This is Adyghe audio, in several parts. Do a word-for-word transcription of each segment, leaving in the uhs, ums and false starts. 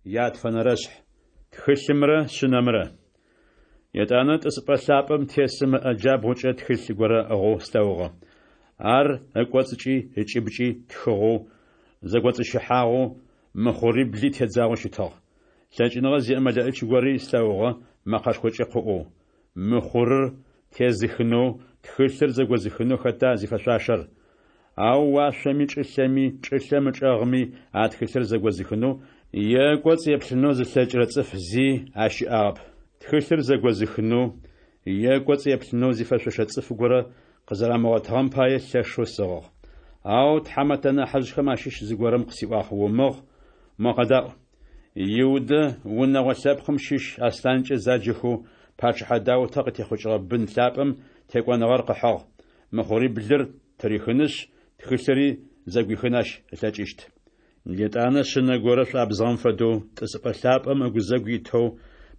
Ятфэнэрэшъхь. Тхылъымрэ Шъынэмрэ. Етӏанэ тӏысыпӏэ лъапӏэм тесым ыӏэ джабгъукӏэ тхылъ горэ ыӏыгъэу слъэгъугъэ. Ар ыкӏоцӏыкӏи ыкӏыбкӏи тхыгъэу, зэкӏоцӏыщыхьагъэу, мыхъурибли тедзагъэу щытыгъ. Лъэкӏыныгъэ зиӏэ мэлэӏич гори слъэгъугъэ мэкъэшхокӏэ къыӏоу: «Мыхъурыр тезыхынэу, тхылъыр зэгозыхынэу хэта зифэшъуашэр?» Ау уашъоми, чӏылъэми, чӏылъэм ычӏэгъми а тхылъыр зэгозыхынэу е ыкӏоцӏ еплъынэу зылъэкӏырэ цӏыф зи ащыӏагъэп. Тхылъыр зэгозыхынэу е ыкӏоцӏ еплъынэу зифэшъошэ цӏыф горэ къызэрамыгъотыгъэм пае лъэшэу сыгъыгъ. Ау тхьамэтэ нахьыжъхэм ащыщ зыгорэм къысиӏуагъ: «Умыгъ, мо къэдаӏу! Иудэ унэгъо лъэпкъым щыщ аслъанкӏэ заджэхэу пачъыхьэ Даутэ къытехъукӏыгъэ бын лъапӏэм текӏоныгъэр къыхьыгъ. Мыхъуриблыр тырихынышъ, тхылъыри зэгуихын ащ ылъэкӏыщт». Етӏанэ шъынэ горэ шӏуабзыгъэм фэдэу, тӏысыпӏэ лъапӏэм ыгузэгу итэу,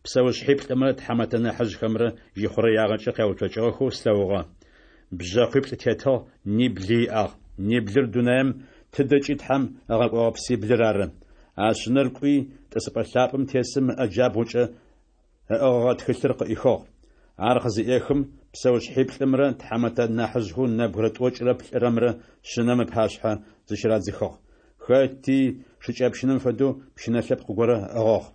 псэушъхьиплӏымрэ тхьамэтэ нахьыжъхэмрэ ихъурэягъэкӏэ къяуцокӏыгъэхэу слъэгъугъэ. Бжъэкъуиплӏ тетыгъ, нибли иӏагъ. Ниблыр дунаем тыдэкӏи Тхьэм ыгъэкӏогъэ псиблыр ары. А шъынэр кӏуи, тӏысыпӏэ лъапӏэм тесым ыӏэ джабгъукӏэ ыӏыгъыгъэ тхылъыр къыӏихыгъ. Ар къызыӏехым, псэушъхьиплӏымрэ тхьамэтэ нахьыжъхэу нэбгырэ тӏокӏырэ плӏырэмрэ шъынэм ыпашъхьэ зыщырадзыхыгъ. Хэти шыкӏэпщынэм фэдэу пщынэ лъэпкъ горэ ыӏыгъыгъ.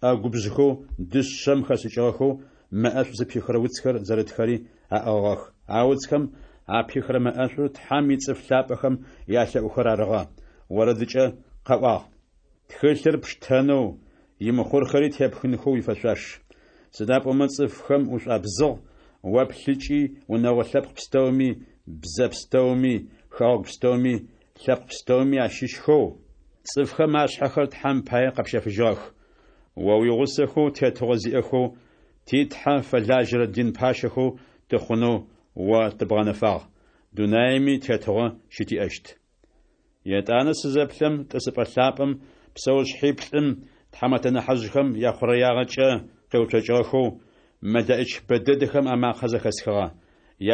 ӏэгубжъхэу дышъэм хэшӏыкӏыгъэхэу мэ ӏэшӏу зыпихырэ уцхэр зэрытхэри аӏыгъыгъэх. А уцхэм апихырэ мэ ӏэшӏур Тхьэм ицӏыф лъапӏэхэм ялъэӏухэр арыгъэ. Орэдыкӏэ къэӏуагъ: Тхылъыр пштэнэу, имыхъурхэри тепхынхэу уифэшъуаш. Сыда пӏомэ цӏыфхэм ушӏуабзыгъ, о плъыкӏи унэгъо лъэпкъ пстэуми, бзэ пстэуми, хэгъэгу пстэуми, лъэпкъ пстэуми ащыщхэу цӏыфхэм ашъхьэхэр Тхьэм пае къэпщэфыжьыгъэх. О уигъусэхэу тетыгъо зиӏэхэу, ти Тхьэ фэлажьэрэ дин пащэхэу тыхъунэу о тыбгъэнэфагъ. Дунаеми тетыгъо щытиӏэщт. Етӏанэ сызэплъэм, тӏысыпӏэ лъапӏэм псэушъхьиплӏым тхьамэтэ нахьыжъхэм яхъурэягъэкӏэ къеуцокӏыгъэхэу, мэлэӏич бэдэдэхэм амакъэ зэхэсхыгъэ.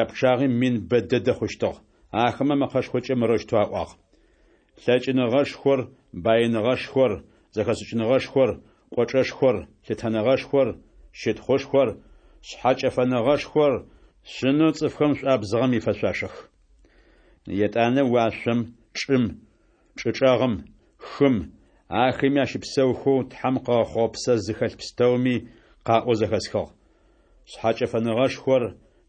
Япчъагъи мин бэдэдэ хъущтыгъ. Ахэмэ мэкъэшхокӏэ мырэущтэу аӏуагъ: Лъэкӏыныгъэшхор, баиныгъэшхор, зэхэшӏыкӏыныгъэшхор, кӏочӏэшхор, лъытэныгъэшхор, щытхъушхор, шъхьэкӏэфэныгъэшхор Шъынэу цӏыфхэм шӏуабзыгъэм ифэшъуашэх. Етӏанэ уашъом, чӏым, чӏычӏэгъым, хым, ахэми ащыпсэухэу Тхьэм къыгъэхъугъэ псэ зыхэлъ пстэуми къаӏоу зэхэсхыгъ: Шъхьэкӏэфэныгъэшхор,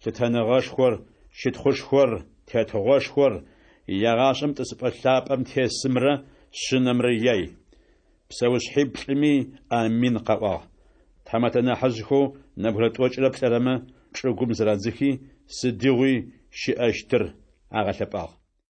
лъытэныгъэшхор, щытхъушхор, тетыгъошхор егъашӏэм тӏысыпӏэ лъапӏэм тесымрэ Шъынэмрэ яй. Псэушъхьиплӏыми «Амин» къаӏуагъ. Тхьамэтэ нахьыжъхэу нэбгырэ тӏокӏырэ плӏырэмэ чӏыгум зырадзыхи, сыдигъуи щыӏэщтыр агъэлъэпӏагъ.